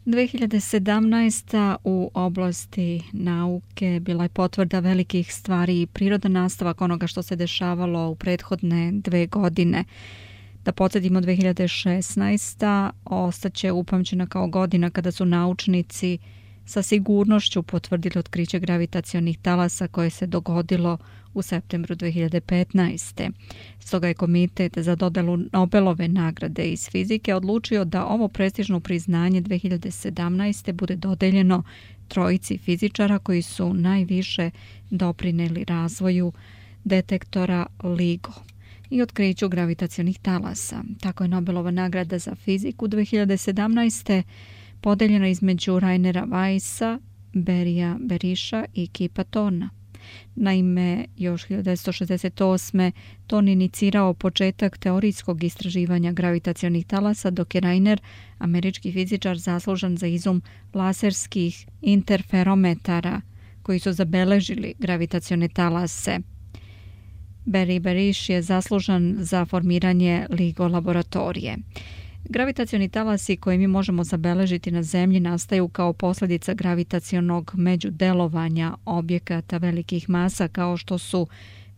2017. u oblasti nauke bila je potvrda velikih stvari i prirodan nastavak onoga što se dešavalo u prethodne 2 godine. Da podsjetimo, 2016. ostaće upamćena kao godina kada su naučnici sa sigurnošću potvrdili otkriće gravitacionih talasa koje se dogodilo u septembru 2015. Stoga je Komitet za dodelu Nobelove nagrade iz fizike odlučio da ovo prestižno priznanje 2017. bude dodeljeno 3 fizičara koji su najviše doprineli razvoju detektora LIGO i otkriću gravitacionih talasa. Tako je Nobelova nagrada za fiziku 2017. podeljena između Rainera Weissa, Berija Berisha i Kipa Thorna. Naime, još 1968. Thorn inicirao početak teorijskog istraživanja gravitacionih talasa, dok je Rainer, američki fizičar, zaslužan za izum laserskih interferometara koji su zabeležili gravitacione talase. Berry Berish je zaslužan za formiranje LIGO laboratorije. Gravitacioni talasi koje mi možemo zabeležiti na Zemlji nastaju kao posljedica gravitacionog međudelovanja objekata velikih masa kao što su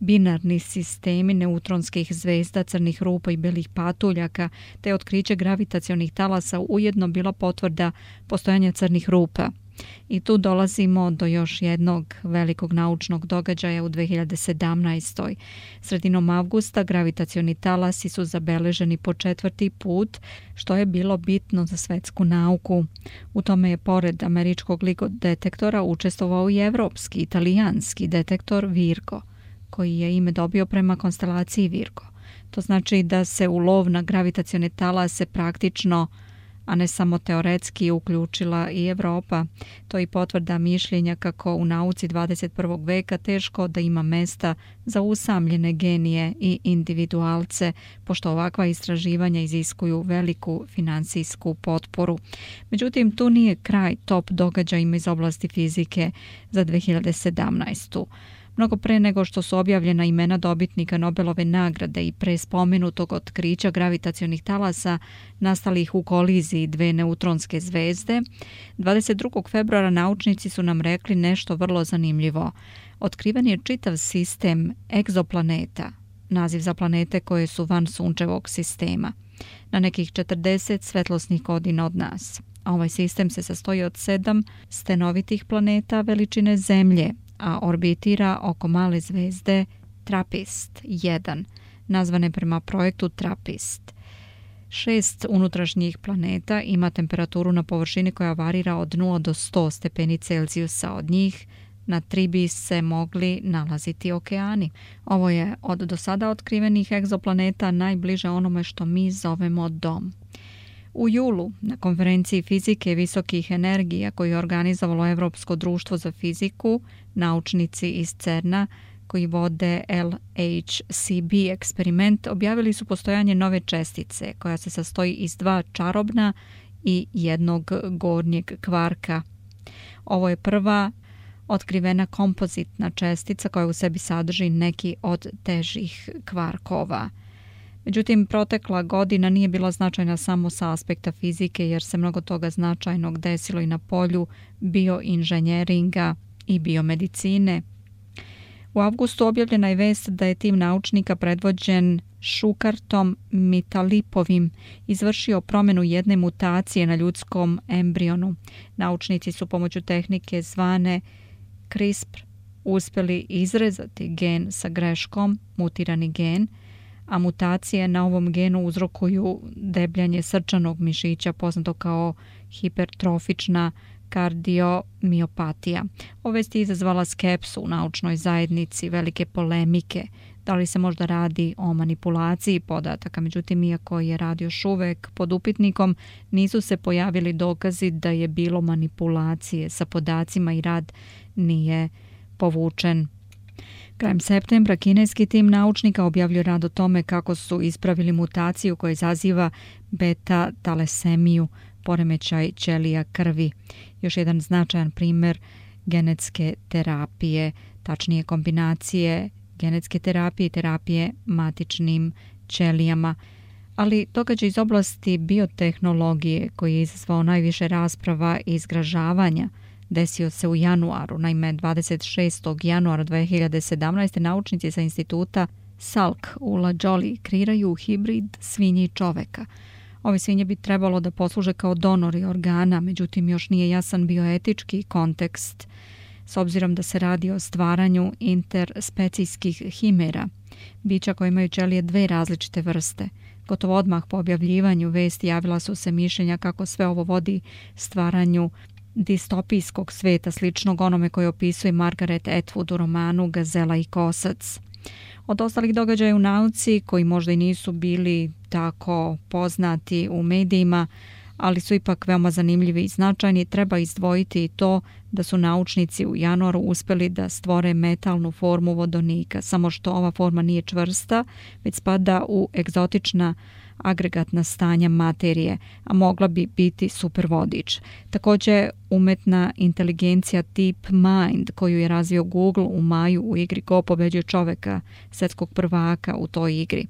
binarni sistemi neutronskih zvezda, crnih rupa i belih patuljaka, te otkriće gravitacionih talasa ujedno bila potvrda postojanja crnih rupa. I tu dolazimo do još jednog velikog naučnog događaja u 2017. Sredinom avgusta gravitacioni talasi su zabeleženi po 4. put, što je bilo bitno za svetsku nauku. U tome je pored američkog LIGO detektora učestvovao i evropski, italijanski detektor Virgo, koji je ime dobio prema konstelaciji Virgo. To znači da se u lov na gravitacione talase praktično, a ne samo teoretski, uključila i Evropa. To je i potvrda mišljenja kako u nauci 21. veka teško da ima mesta za usamljene genije i individualce, pošto ovakva istraživanja iziskuju veliku finansijsku potporu. Međutim, tu nije kraj top događajima iz oblasti fizike za 2017. Mnogo pre nego što su objavljena imena dobitnika Nobelove nagrade i pre spomenutog otkrića gravitacionih talasa nastalih u koliziji 2 neutronske zvezde, 22. februara naučnici su nam rekli nešto vrlo zanimljivo. Otkriven je čitav sistem egzoplaneta, naziv za planete koje su van sunčevog sistema, na nekih 40 svetlosnih godina od nas. Ovaj sistem se sastoji od 7 stenovitih planeta veličine Zemlje, a orbitira oko male zvezde TRAPPIST-1, nazvane prema projektu TRAPPIST. 6 unutrašnjih planeta ima temperaturu na površini koja varira od 0 do 100 stepeni Celzijusa. Od njih na 3 bi se mogli nalaziti okeani. Ovo je od do sada otkrivenih egzoplaneta najbliže onome što mi zovemo dom. U julu, na konferenciji fizike visokih energija koju je organizovalo Evropsko društvo za fiziku, naučnici iz CERN-a koji vode LHCb eksperiment objavili su postojanje nove čestice koja se sastoji iz 2 čarobna i 1 gornjeg kvarka. Ovo je prva otkrivena kompozitna čestica koja u sebi sadrži neki od težih kvarkova. Međutim, protekla godina nije bila značajna samo sa aspekta fizike jer se mnogo toga značajnog desilo i na polju bioinženjeringa i biomedicine. U avgustu objavljena je vest da je tim naučnika predvođen Šukartom Mitalipovim izvršio promjenu jedne mutacije na ljudskom embrionu. Naučnici su pomoću tehnike zvane CRISPR uspjeli izrezati gen sa greškom, mutirani gen, a mutacije na ovom genu uzrokuju debljanje srčanog mišića poznato kao hipertrofična kardiomiopatija. Ova vest je izazvala skepsu u naučnoj zajednici, velike polemike. Da li se možda radi o manipulaciji podataka? Međutim, iako je rad još uvek pod upitnikom, nisu se pojavili dokazi da je bilo manipulacije sa podacima i rad nije povučen. Krajem septembra kineski tim naučnika objavljuje rad o tome kako su ispravili mutaciju koja izaziva beta-talasemiju, poremećaj ćelija krvi. Još jedan značajan primjer genetske terapije, tačnije kombinacije genetske terapije i terapije matičnim ćelijama. Ali događaj iz oblasti biotehnologije koji je izazvao najviše rasprava i zgražavanja desio se u januaru. Naime, 26. januara 2017. naučnici sa instituta Salk u La Jolie kreiraju hibrid svinje i čoveka. Ove svinje bi trebalo da posluže kao donori organa, međutim još nije jasan bioetički kontekst, s obzirom da se radi o stvaranju interspecijskih himera, bića koje imaju ćelije dve različite vrste. Gotovo odmah po objavljivanju vesti javila su se mišljenja kako sve ovo vodi stvaranju distopijskog sveta sličnog onome koje opisuje Margaret Atwood u romanu Gazela i kosac. Od ostalih događaja u nauci, koji možda i nisu bili tako poznati u medijima, ali su ipak veoma zanimljivi i značajni, treba izdvojiti i to da su naučnici u januaru uspjeli da stvore metalnu formu vodonika, samo što ova forma nije čvrsta, već spada u egzotična agregatna stanja materije, a mogla bi biti supervodič. Također, umetna inteligencija tip Mind, koju je razvio Google u maju u igri Go pobeđuje čoveka, svjetskog prvaka u toj igri.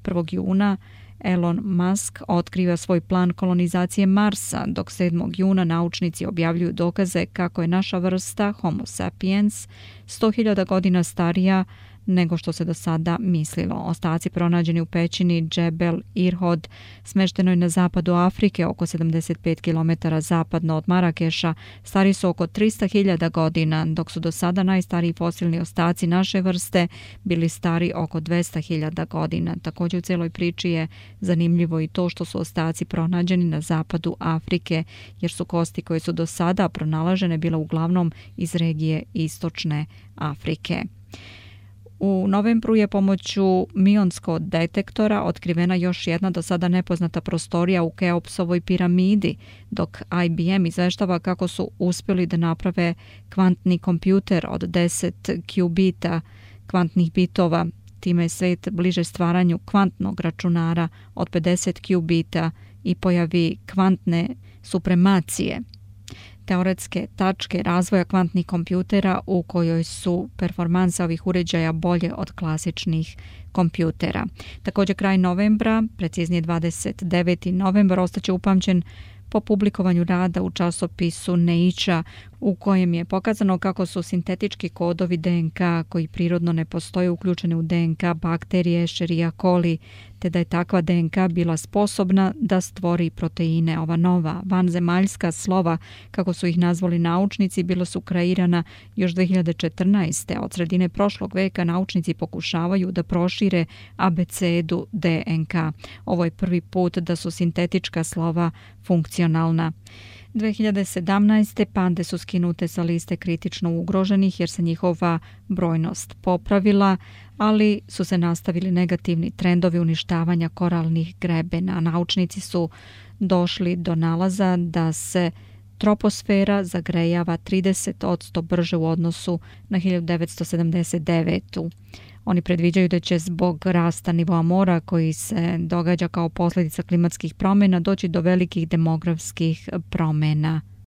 1. juna Elon Musk otkriva svoj plan kolonizacije Marsa, dok 7. juna naučnici objavljuju dokaze kako je naša vrsta Homo sapiens 100.000 godina starija nego što se do sada mislilo. Ostaci pronađeni u pećini Džebel Irhod, smeštenoj na zapadu Afrike, oko 75 km zapadno od Marakeša, stari su oko 300.000 godina, dok su do sada najstariji fosilni ostaci naše vrste bili stari oko 200.000 godina. Također u cijeloj priči je zanimljivo i to što su ostaci pronađeni na zapadu Afrike, jer su kosti koje su do sada pronalažene bile uglavnom iz regije istočne Afrike. U novembru je pomoću mionskog detektora otkrivena još jedna do sada nepoznata prostorija u Keopsovoj piramidi, dok IBM izveštava kako su uspjeli da naprave kvantni kompjuter od 10 qubita kvantnih bitova. Time je svet bliže stvaranju kvantnog računara od 50 qubita i pojavi kvantne supremacije, teoretske tačke razvoja kvantnih kompjutera u kojoj su performanse ovih uređaja bolje od klasičnih kompjutera. Također kraj novembra, preciznije 29. novembar, ostaće upamćen po publikovanju rada u časopisu Nature u kojem je pokazano kako su sintetički kodovi DNK koji prirodno ne postoje uključeni u DNK bakterije Escherichia coli, te da je takva DNK bila sposobna da stvori proteine. Ova nova vanzemaljska slova, kako su ih nazvali naučnici, bila su kreirana još 2014. Od sredine prošlog veka naučnici pokušavaju da prošire abecedu DNK. Ovo je prvi put da su sintetička slova funkcionalna. 2017. pande su skinute sa liste kritično ugroženih jer se njihova brojnost popravila, ali su se nastavili negativni trendovi uništavanja koralnih grebena. Naučnici su došli do nalaza da se troposfera zagrejava 30% brže u odnosu na 1979. Oni predviđaju da će zbog rasta nivoa mora koji se događa kao posljedica klimatskih promjena doći do velikih demografskih promjena.